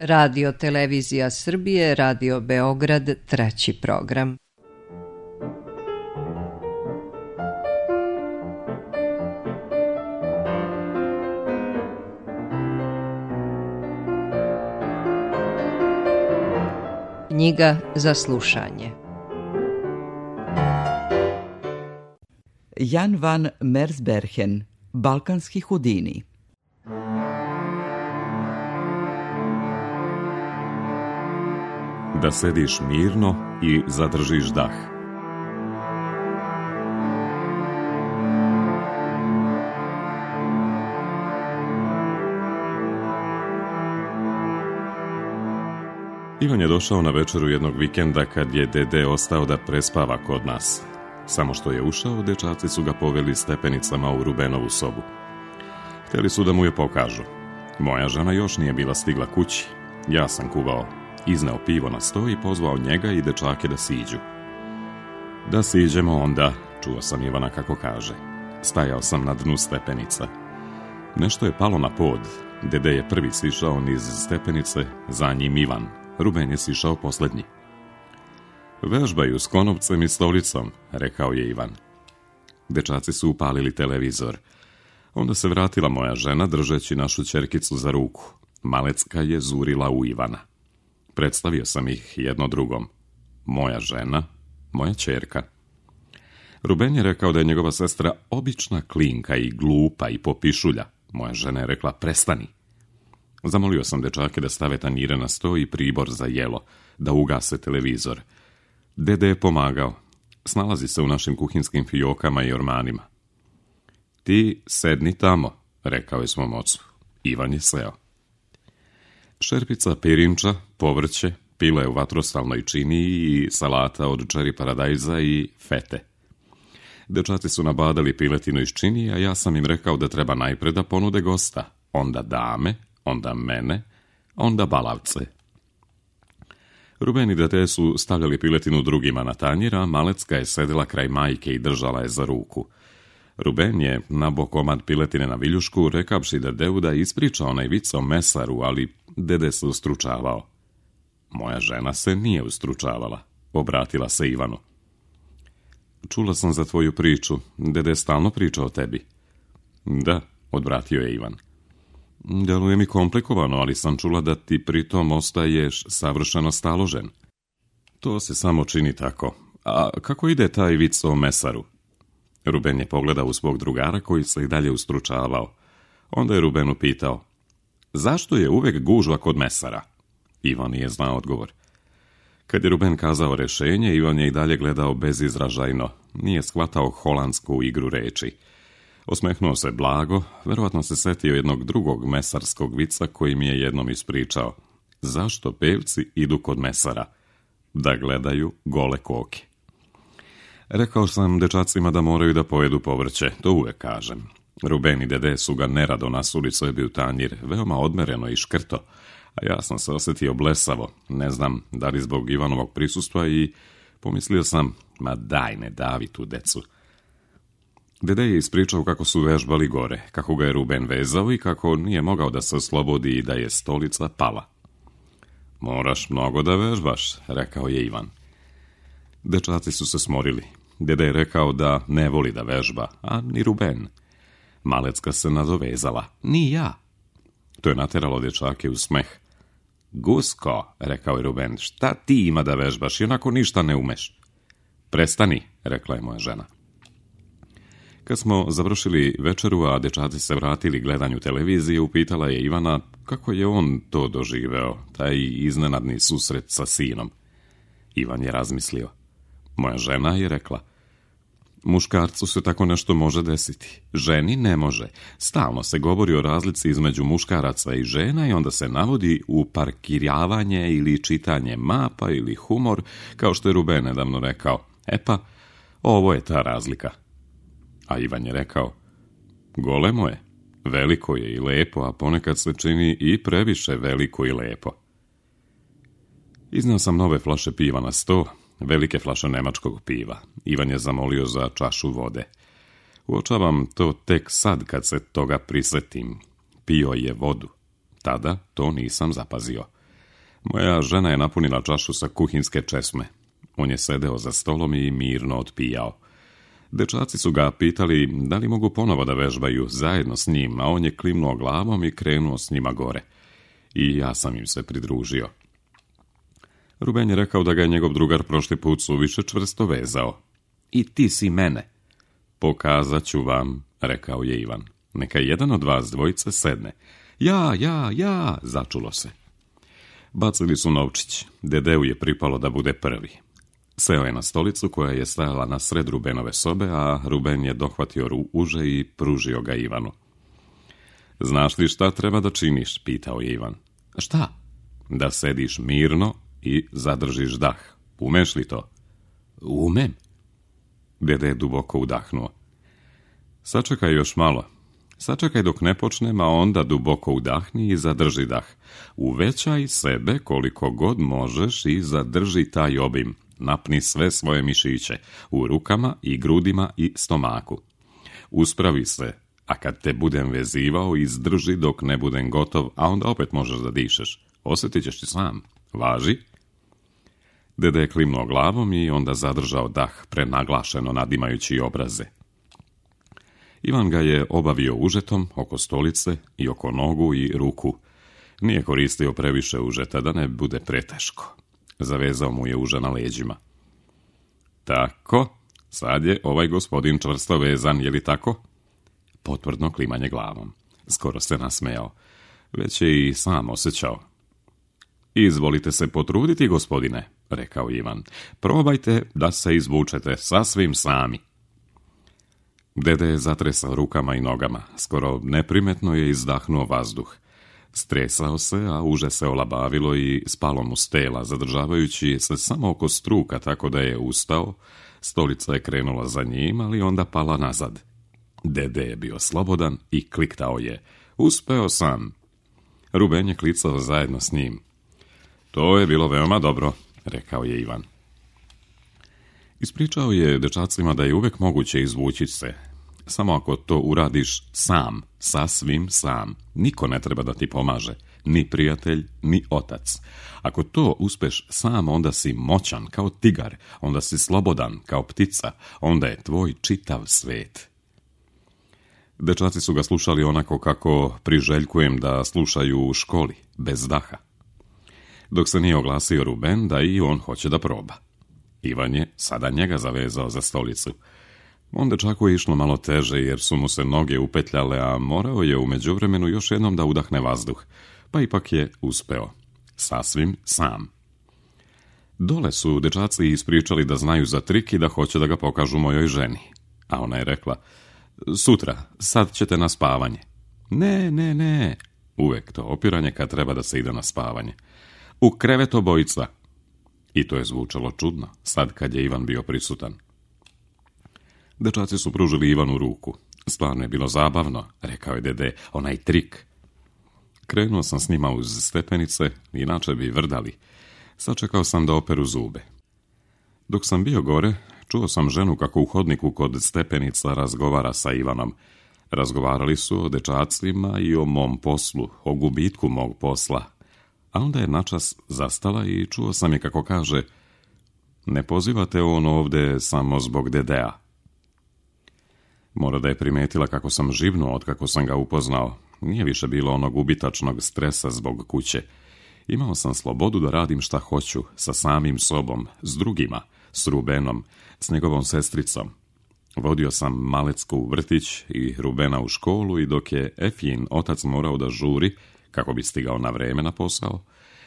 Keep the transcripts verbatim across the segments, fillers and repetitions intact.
Radio Televizija Srbije, Radio Beograd, treći program. Knjiga za slušanje. Jan van Mersbergen, Balkanski Houdini. Da sediš mirno i zadržiš dah. Ivan je došao na večeru jednog vikenda kad je dede ostao da prespava kod nas. Samo što je ušao, dečaci su ga poveli stepenicama u Rubenovu sobu. Hteli su da mu je pokažu. Moja žena još nije bila stigla kući. Ja sam kuvao. Izneo pivo na sto i pozvao njega i dečake da siđu. Da siđemo onda, čuo sam Ivana kako kaže. Stajao sam na dnu stepenica. Nešto je palo na pod. Dede je prvi sišao niz stepenice, za njim Ivan. Ruben je sišao posljednji. Vežbaju s konopcem i stolicom, rekao je Ivan. Dečaci su upalili televizor. Onda se vratila moja žena držeći našu ćerkicu za ruku. Malecka je zurila u Ivana. Predstavio sam ih jedno drugom. Moja žena, moja ćerka. Ruben je rekao da je njegova sestra obična klinka i glupa i popišulja. Moja žena je rekla prestani. Zamolio sam dečake da stave tanjire na sto i pribor za jelo, da ugase televizor. Dede je pomagao. Snalazi se u našim kuhinskim fijokama i ormanima. Ti sedni tamo, rekao je svom ocu. Ivan je seo. Šerpica pirinča, povrće, pile u vatrostalnoj činiji i salata od čeri paradajza i fete. Dečaci su nabadali piletinu iz činije, a ja sam im rekao da treba najpre da ponude gosta, onda dame, onda mene, onda balavce. Ruben i dete su stavljali piletinu drugima na tanjir, a Malecka je sedela kraj majke i držala je za ruku. Ruben je nabo komad piletine na viljušku, rekavši dedeu da ispriča onaj vic o mesaru, ali dede se ustručavao. Moja žena se nije ustručavala, obratila se Ivanu. Čula sam za tvoju priču, dede stalno priča o tebi. Da, odvratio je Ivan. Deluje mi komplikovano, ali sam čula da ti pritom ostaješ savršeno staložen. To se samo čini tako. A kako ide taj vic o mesaru? Ruben je pogledao u svog drugara koji se i dalje ustručavao. Onda je Rubenu pitao, zašto je uvek gužva kod mesara? Ivan je znao odgovor. Kad je Ruben kazao rešenje, Ivan je i dalje gledao bezizražajno. Nije shvatao holandsku igru reči. Osmehnuo se blago, verovatno se setio jednog drugog mesarskog vica koji mi je jednom ispričao. Zašto pevci idu kod mesara? Da gledaju gole koke. Rekao sam dečacima da moraju da pojedu povrće, to uvek kažem. Ruben i dede su ga nerado nasuli sebi u tanjir, veoma odmereno i škrto, a ja sam se osjetio blesavo, ne znam da li zbog Ivanovog prisustva i pomislio sam, ma daj ne davi tu decu. Dede je ispričao kako su vežbali gore, kako ga je Ruben vezao i kako nije mogao da se oslobodi i da je stolica pala. Moraš mnogo da vežbaš, rekao je Ivan. Dečaci su se smorili. Dede je rekao da ne voli da vežba, a ni Ruben. Malecka se nadovezala. Ni ja. To je nateralo dečake u smeh. Gusko, rekao je Ruben, šta ti ima da vežbaš, onako ništa ne umeš. Prestani, rekla je moja žena. Kad smo završili večeru, a dečaci se vratili gledanju televizije, upitala je Ivana kako je on to doživeo, taj iznenadni susret sa sinom. Ivan je razmislio. Moja žena je rekla, muškarcu se tako nešto može desiti, ženi ne može. Stalno se govori o razlici između muškaraca i žena i onda se navodi u parkirjavanje ili čitanje mapa ili humor, kao što je Ruben nedavno rekao. E pa, ovo je ta razlika. A Ivan je rekao, golemo je, veliko je i lepo, a ponekad se čini i previše veliko i lepo. Iznao sam nove flaše piva na sto, velike flaše nemačkog piva. Ivan je zamolio za čašu vode. Uočavam to tek sad kad se toga prisetim. Pio je vodu. Tada to nisam zapazio. Moja žena je napunila čašu sa kuhinske česme. On je sedeo za stolom i mirno otpijao. Dečaci su ga pitali da li mogu ponovo da vežbaju zajedno s njim, a on je klimnuo glavom i krenuo s njima gore. I ja sam im se pridružio. Ruben je rekao da ga je njegov drugar prošli put suviše čvrsto vezao. I ti si mene. Pokazat ću vam, rekao je Ivan. Neka jedan od vas dvojice sedne. Ja, ja, ja, začulo se. Bacili su novčić. Dedeu je pripalo da bude prvi. Seo je na stolicu koja je stajala na sred Rubenove sobe, a Ruben je dohvatio uže i pružio ga Ivanu. Znaš li šta treba da činiš, pitao je Ivan. Šta? Da sediš mirno i zadržiš dah. Umeš li to? Umem. Dede je duboko udahnuo. Sačekaj još malo. Sačekaj dok ne počnem, a onda duboko udahni i zadrži dah. Uvećaj sebe koliko god možeš i zadrži taj obim. Napni sve svoje mišiće, u rukama i grudima i stomaku. Uspravi se, a kad te budem vezivao, izdrži dok ne budem gotov, a onda opet možeš da dišeš. Osjetit ćeš ti sam. Važi? Dede je klimnuo glavom i onda zadržao dah, prenaglašeno nadimajući obraze. Ivan ga je obavio užetom oko stolice i oko nogu i ruku. Nije koristio previše užeta da ne bude preteško. Zavezao mu je uže na leđima. Tako, sad je ovaj gospodin čvrsto vezan, je li tako? Potvrdno klimanje glavom. Skoro se nasmejao. Već je i sam osjećao. Izvolite se potruditi, gospodine, rekao Ivan. Probajte da se izvučete sasvim sami. Dede je zatresao rukama i nogama. Skoro neprimetno je izdahnuo vazduh. Stresao se, a uže se olabavilo i spalo mu s tela, zadržavajući se samo oko struka, tako da je ustao. Stolica je krenula za njim, ali onda pala nazad. Dede je bio slobodan i kliktao je. Uspeo sam. Ruben je klicao zajedno s njim. To je bilo veoma dobro, rekao je Ivan. Ispričao je dečacima da je uvek moguće izvući se. Samo ako to uradiš sam, sasvim sam. Niko ne treba da ti pomaže. Ni prijatelj, ni otac. Ako to uspeš sam, onda si moćan kao tigar. Onda si slobodan kao ptica. Onda je tvoj čitav svet. Dečaci su ga slušali onako kako priželjkujem da slušaju u školi, bez daha. Dok se nije oglasio Ruben da i on hoće da proba. Ivan je sada njega zavezao za stolicu. Onda čako je išlo malo teže jer su mu se noge upetljale, a morao je u međuvremenu još jednom da udahne vazduh, pa ipak je uspeo. Sasvim sam. Dole su dečaci ispričali da znaju za trik i da hoće da ga pokažu mojoj ženi. A ona je rekla, sutra, sad ćete na spavanje. Ne, ne, ne. Uvek to opiranje kad treba da se ide na spavanje. U krevet obojica. I to je zvučalo čudno, sad kad je Ivan bio prisutan. Dečaci su pružili Ivanu ruku. Stvarno je bilo zabavno, rekao je dede, onaj trik. Krenuo sam s njima uz stepenice, inače bi vrdali. Sačekao sam da operu zube. Dok sam bio gore, čuo sam ženu kako u hodniku kod stepenica razgovara sa Ivanom. Razgovarali su o dečacima i o mom poslu, o gubitku mog posla. A onda je načas zastala i čuo sam je kako kaže, ne pozivate on ovde samo zbog dedea. Mora da je primetila kako sam živnuo od kako sam ga upoznao. Nije više bilo onog ubitačnog stresa zbog kuće. Imao sam slobodu da radim šta hoću, sa samim sobom, s drugima, s Rubenom, s njegovom sestricom. Vodio sam Malecku u vrtić i Rubena u školu i dok je Efin otac morao da žuri, kako bi stigao na vreme na posao,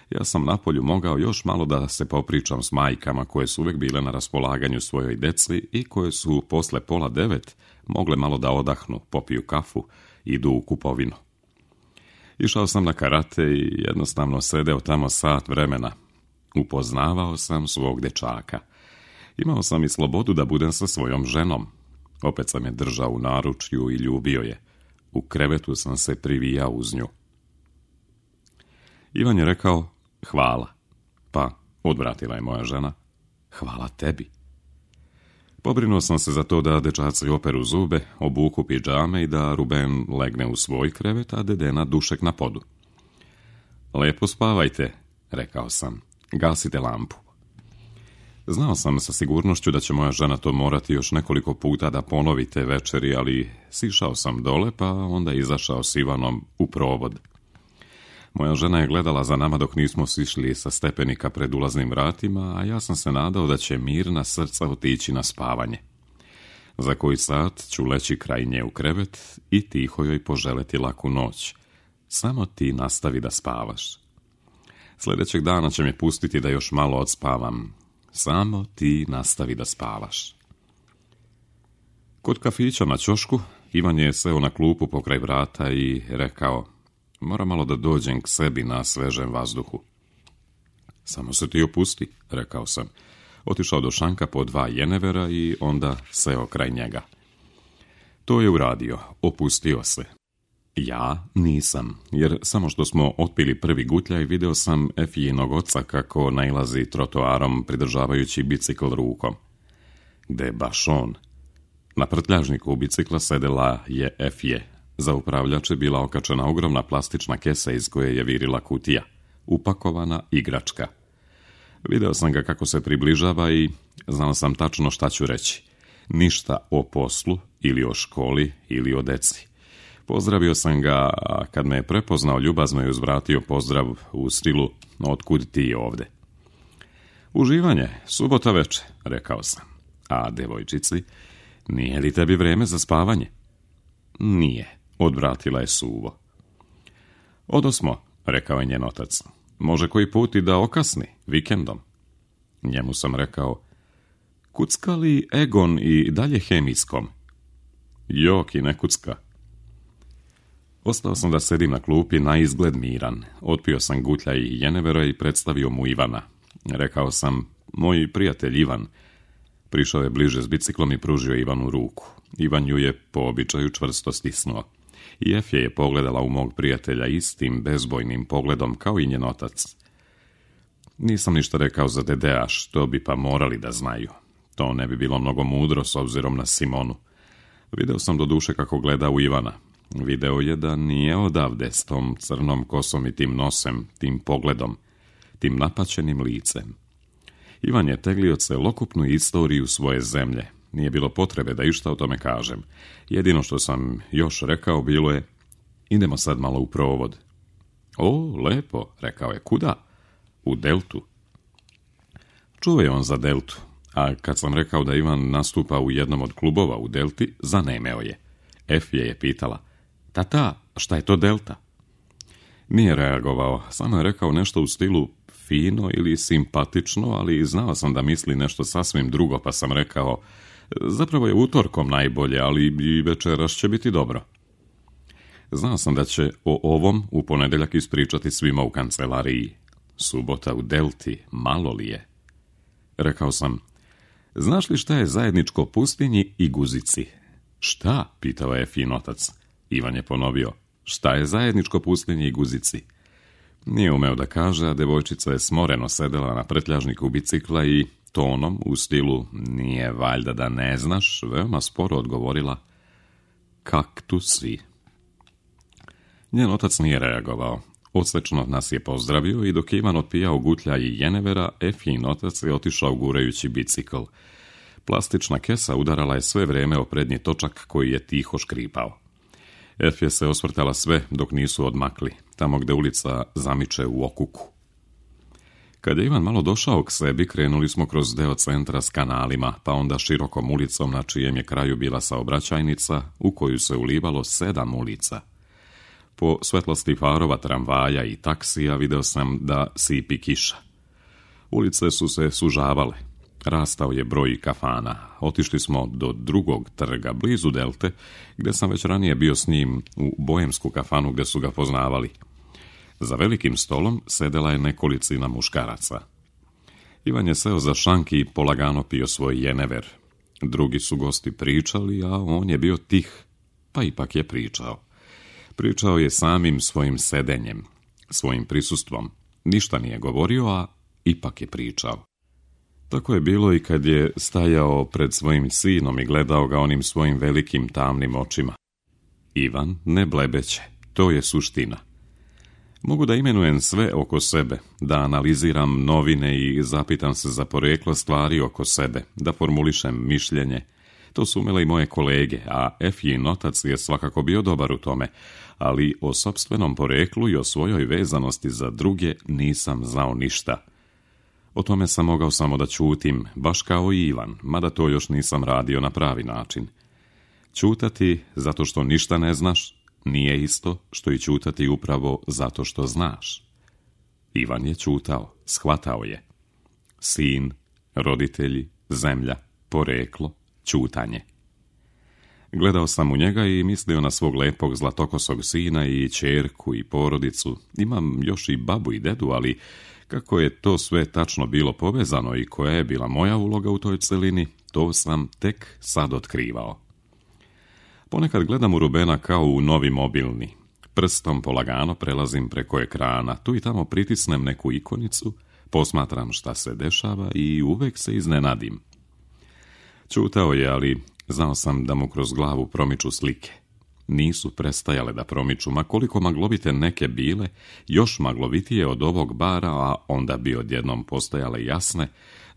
ja sam napolju mogao još malo da se popričam s majkama koje su uvek bile na raspolaganju svojoj deci i koje su posle pola devet mogle malo da odahnu, popiju kafu, idu u kupovinu. Išao sam na karate i jednostavno sedeo tamo sat vremena. Upoznavao sam svog dečaka. Imao sam i slobodu da budem sa svojom ženom. Opet sam je držao u naručju i ljubio je. U krevetu sam se privijao uz nju. Ivan je rekao, hvala. Pa, odvratila je moja žena, hvala tebi. Pobrinuo sam se za to da dečaci operu zube, obuku pidžame i da Ruben legne u svoj krevet, a dedena dušek na podu. Lepo spavajte, rekao sam. Gasite lampu. Znao sam sa sigurnošću da će moja žena to morati još nekoliko puta da ponovi te večeri, ali sišao sam dole, pa onda izašao s Ivanom u provod. Moja žena je gledala za nama dok nismo sišli sa stepenika pred ulaznim vratima, a ja sam se nadao da će mirna srca otići na spavanje. Za koji sat ću leći kraj nje u krevet i tiho joj poželeti laku noć. Samo ti nastavi da spavaš. Sljedećeg dana će me pustiti da još malo odspavam. Samo ti nastavi da spavaš. Kod kafića na ćošku Ivan je seo na klupu pokraj vrata i rekao: moram malo da dođem k sebi na svežem vazduhu. Samo se ti opusti, rekao sam. Otišao do šanka po dva jenevera i onda seo kraj njega. To je uradio, opustio se. Ja nisam, jer samo što smo otpili prvi gutljaj video sam Efijinog oca kako nailazi trotoarom pridržavajući bicikl rukom. Gde baš on? Na prtljažniku bicikla sedela je Efije. Za upravljač je bila okačena ogromna plastična kesa iz koje je virila kutija, upakovana igračka. Video sam ga kako se približava i znao sam tačno šta ću reći. Ništa o poslu, ili o školi, ili o deci. Pozdravio sam ga, a kad me je prepoznao, ljubazno je uzvratio pozdrav u stilu: otkud ti ovde? Uživanje, subota veče, rekao sam. A devojčici, nije li tebi vreme za spavanje? Nije, odvratila je suvo. Odosmo, rekao je njen otac. Može koji put i da okasni, vikendom. Njemu sam rekao: kucka li Egon i dalje hemijskom? Jok i ne kucka. Ostao sam da sedim na klupi na izgled miran. Otpio sam gutljaj i jenevera i predstavio mu Ivana. Rekao sam: moj prijatelj Ivan. Prišao je bliže s biciklom i pružio Ivanu ruku. Ivan ju je po običaju čvrsto stisnuo. I Efje je pogledala u mog prijatelja istim bezbojnim pogledom kao i njen otac. Nisam ništa rekao za Dedea, što bi pa morali da znaju. To ne bi bilo mnogo mudro s obzirom na Simonu. Video sam do duše kako gleda u Ivana. Video je da nije odavde s tom crnom kosom i tim nosem, tim pogledom, tim napaćenim licem. Ivan je teglio celokupnu istoriju svoje zemlje. Nije bilo potrebe da išta o tome kažem. Jedino što sam još rekao bilo je: idemo sad malo u provod. O, lepo, rekao je. Kuda? U Deltu. Čuo je on za Deltu, a kad sam rekao da Ivan nastupa u jednom od klubova u Delti, zanemeo je. Efje je pitala: tata, šta je to Delta? Nije reagovao, samo je rekao nešto u stilu fino ili simpatično, ali znao sam da misli nešto sasvim drugo, pa sam rekao: zapravo je utorkom najbolje, ali i večeras će biti dobro. Znao sam da će o ovom u ponedeljak ispričati svima u kancelariji. Subota u Delti, malo li je? Rekao sam: znaš li šta je zajedničko pustinji i guzici? Šta? Pitao je Efin otac. Ivan je ponovio: šta je zajedničko pustinji i guzici? Nije umeo da kaže, a devojčica je smoreno sedela na prtljažniku bicikla i tonom u stilu nije valjda da ne znaš, veoma sporo odgovorila: kaktusi. Njen otac nije reagovao. Odsvečno nas je pozdravio i dok je Ivan otpijao gutljaj i jenevera, Efin otac je otišao gurajući bicikl. Plastična kesa udarala je sve vreme o prednji točak koji je tiho škripao. Efje se osvrtala sve dok nisu odmakli, tamo gde ulica zamiče u okuku. Kad je Ivan malo došao k sebi, krenuli smo kroz deo centra s kanalima, pa onda širokom ulicom na čijem je kraju bila saobraćajnica, u koju se ulivalo sedam ulica. Po svetlosti farova tramvaja i taksija video sam da sipi kiša. Ulice su se sužavale. Rastao je broj kafana. Otišli smo do drugog trga, blizu Delte, gde sam već ranije bio s njim u boemsku kafanu gde su ga poznavali. Za velikim stolom sedela je nekolicina muškaraca. Ivan je seo za šank i polagano pio svoj jenever. Drugi su gosti pričali, a on je bio tih, pa ipak je pričao. Pričao je samim svojim sedenjem, svojim prisustvom. Ništa nije govorio, a ipak je pričao. Tako je bilo i kad je stajao pred svojim sinom i gledao ga onim svojim velikim tamnim očima. Ivan ne blebeće, to je suština. Mogu da imenujem sve oko sebe, da analiziram novine i zapitam se za poreklo stvari oko sebe, da formulišem mišljenje. To su umele i moje kolege, a Efjin otac je svakako bio dobar u tome, ali o sopstvenom poreklu i o svojoj vezanosti za druge nisam znao ništa. O tome sam mogao samo da ćutim, baš kao i Ivan, mada to još nisam radio na pravi način. Ćutati zato što ništa ne znaš nije isto što i ćutati upravo zato što znaš. Ivan je ćutao, shvatao je. Sin, roditelji, zemlja, poreklo, ćutanje. Gledao sam u njega i mislio na svog lepog zlatokosog sina i ćerku i porodicu. Imam još i babu i dedu, ali kako je to sve tačno bilo povezano i koja je bila moja uloga u toj celini, to sam tek sad otkrivao. Ponekad gledam u Rubena kao u novi mobilni. Prstom polagano prelazim preko ekrana, tu i tamo pritisnem neku ikonicu, posmatram šta se dešava i uvek se iznenadim. Ćutao je, ali znao sam da mu kroz glavu promiču slike. Nisu prestajale da promiču, ma koliko maglovite neke bile, još maglovitije od ovog bara, a onda bi odjednom postajale jasne,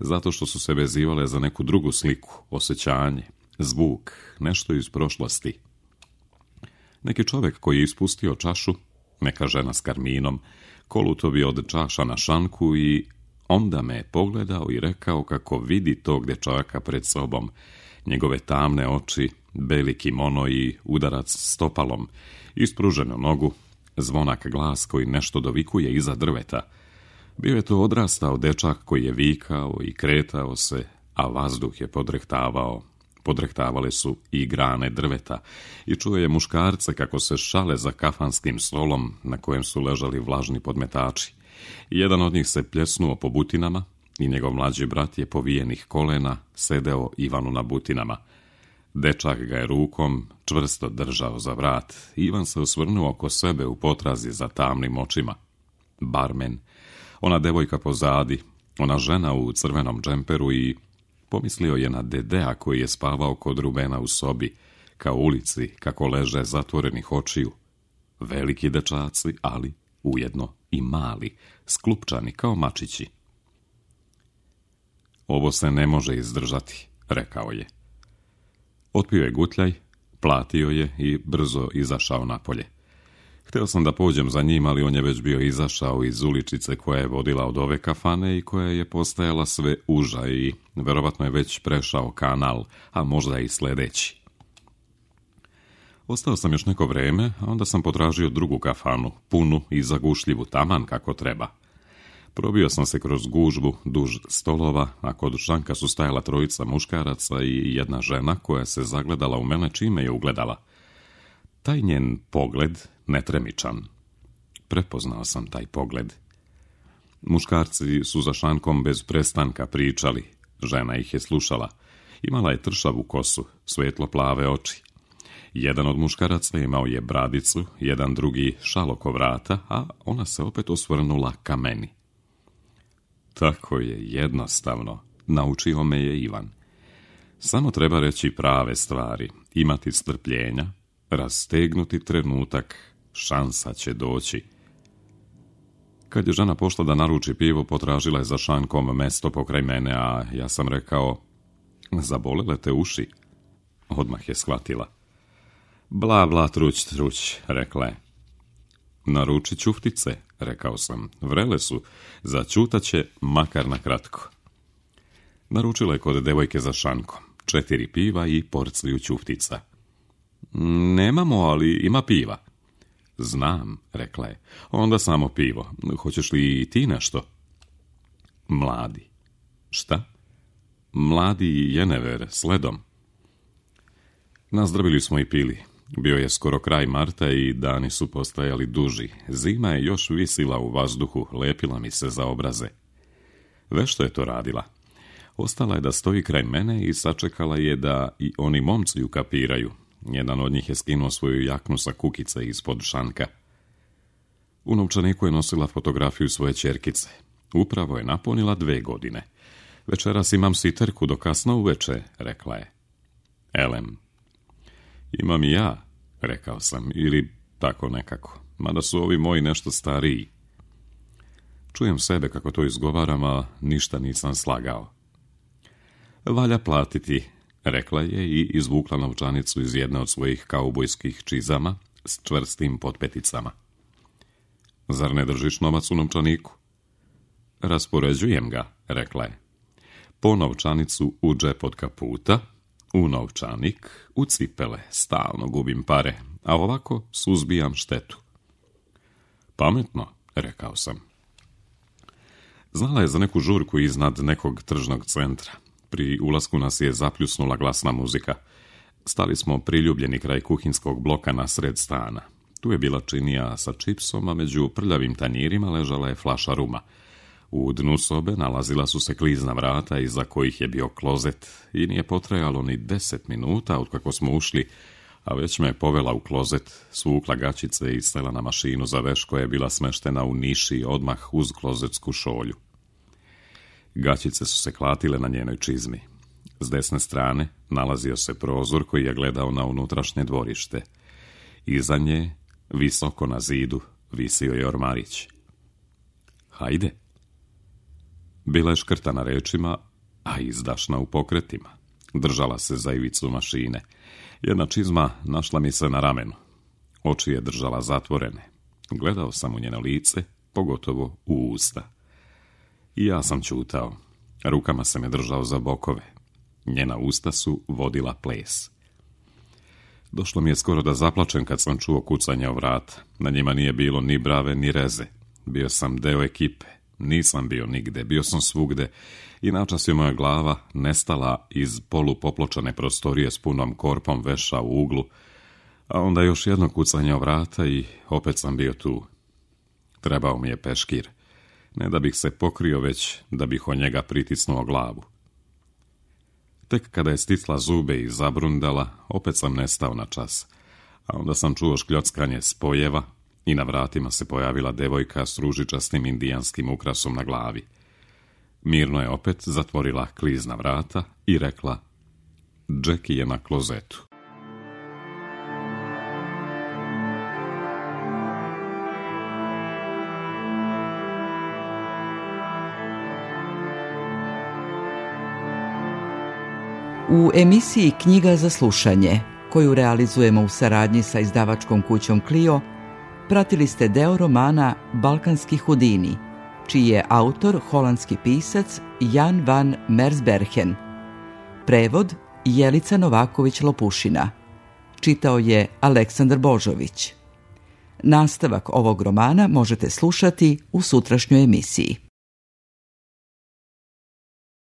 zato što su se vezivale za neku drugu sliku, osjećanje, zvuk, nešto iz prošlosti. Neki čovjek koji je ispustio čašu, neka žena s karminom, koluto bi od čaša na šanku i onda me je pogledao i rekao kako vidi tog dečaka pred sobom, njegove tamne oči, beli kimono i udarac stopalom, ispruženu nogu, zvonak glas koji nešto dovikuje iza drveta. Bio je to odrastao dečak koji je vikao i kretao se, a vazduh je podrehtavao. Podrehtavale su i grane drveta i čuo je muškarce kako se šale za kafanskim stolom na kojem su ležali vlažni podmetači. Jedan od njih se pljesnuo po butinama i njegov mlađi brat je povijenih kolena sedeo Ivanu na butinama. Dečak ga je rukom čvrsto držao za vrat. Ivan se osvrnuo oko sebe u potrazi za tamnim očima. Barmen, ona devojka pozadi, ona žena u crvenom džemperu i pomislio je na Dedea koji je spavao kod Rubena u sobi, kao ulici, kako leže zatvorenih očiju. Veliki dečaci, ali ujedno i mali, sklupčani kao mačići. Ovo se ne može izdržati, rekao je. Otpio je gutljaj, platio je i brzo izašao napolje. Hteo sam da pođem za njim, ali on je već bio izašao iz uličice koja je vodila od ove kafane i koja je postajala sve uža i verovatno je već prešao kanal, a možda i sledeći. Ostao sam još neko vreme, a onda sam potražio drugu kafanu, punu i zagušljivu, taman kako treba. Probio sam se kroz gužbu duž stolova, a kod šanka su stajala trojica muškaraca i jedna žena koja se zagledala u mene čime je ugledala. Taj njen pogled, netremičan. Prepoznao sam taj pogled. Muškarci su za šankom bez prestanka pričali. Žena ih je slušala. Imala je tršavu kosu, svetlo plave oči. Jedan od muškaraca imao je bradicu, jedan drugi šal oko vrata, a ona se opet osvrnula ka meni. Tako je, jednostavno, naučio me je Ivan. Samo treba reći prave stvari, imati strpljenja, rastegnuti trenutak, šansa će doći. Kad je žena pošla da naruči pivo, potražila je za šankom mesto pokraj mene, a ja sam rekao, zabolele te uši? Odmah je shvatila. Bla, bla, truć, truć, rekla je. Naruči ćuftice, rekao sam, vrele su, začutaće makar na kratko. Naručila je kod devojke za šankom, četiri piva i porciju ćuftica. Nemamo, ali ima piva. Znam, rekla je, onda samo pivo, hoćeš li i ti nešto? Mladi. Šta? Mladi jenever, sledom. Nazdravili smo i pili. Bio je skoro kraj marta i dani su postajali duži. Zima je još visila u vazduhu, lepila mi se za obraze. Vešto je to radila. Ostala je da stoji kraj mene i sačekala je da i oni momci ju kapiraju. Jedan od njih je skinuo svoju jaknu sa kukice ispod šanka. U novčaniku je nosila fotografiju svoje ćerkice. Upravo je napunila dve godine. Večeras imam siterku do kasno uveče, rekla je. Elem. Imam i ja, rekao sam, ili tako nekako. mada su ovi moji nešto stariji. Čujem sebe kako to izgovaram, a ništa nisam slagao. Valja platiti, rekla je i izvukla novčanicu iz jedne od svojih kaubojskih čizama s čvrstim potpeticama. Zar ne držiš novac u novčaniku? Raspoređujem ga, rekla je. Po novčanicu u džep od kaputa, u novčanik, u cipele, stalno gubim pare, a ovako suzbijam štetu. Pametno, rekao sam. Znala je za neku žurku iznad nekog tržnog centra. Pri ulasku nas je zapljusnula glasna muzika. Stali smo priljubljeni kraj kuhinskog bloka na sred stana. Tu je bila činija sa čipsom, a među prljavim tanjirima ležala je flaša ruma. U dnu sobe nalazila su se klizna vrata iza kojih je bio klozet i nije potrajalo ni deset minuta otkako smo ušli, a već me je povela u klozet, svukla gaćice i sela na mašinu za veš koja je bila smeštena u niši odmah uz klozetsku šolju. Gaćice su se klatile na njenoj čizmi. S desne strane nalazio se prozor koji je gledao na unutrašnje dvorište. Iza nje, visoko na zidu, visio je ormarić. Hajde. Bila je škrtana rečima, a izdašna u pokretima. Držala se za ivicu mašine. Jedna čizma našla mi se na ramenu. Oči je držala zatvorene. Gledao sam u njeno lice, pogotovo u usta. I ja sam ćutao. Rukama se me držao za bokove. Njena usta su vodila ples. Došlo mi je skoro da zaplačem kad sam čuo kucanje o vrata. Na njima nije bilo ni brave ni reze. Bio sam deo ekipe. Nisam bio nigde, bio sam svugde i načas je moja glava nestala iz polupopločane prostorije s punom korpom veša u uglu, a onda još jedno kucanje o vrata i opet sam bio tu. Trebao mi je peškir, ne da bih se pokrio, već da bih od njega pritisnuo glavu. Tek kada je stisla zube i zabrundala, opet sam nestao na čas, a onda sam čuo škljockanje spojeva i na vratima se pojavila devojka s ružičastim indijanskim ukrasom na glavi. Mirno je opet zatvorila klizna vrata i rekla: Jackie je na klozetu. U emisiji Knjiga za slušanje, koju realizujemo u saradnji sa izdavačkom kućom Clio, pratili ste deo romana Balkanski Hudini, čiji je autor holandski pisac Jan van Mersbergen. Prevod Jelica Novaković-Lopušina. Čitao je Aleksandar Božović. Nastavak ovog romana možete slušati u sutrašnjoj emisiji.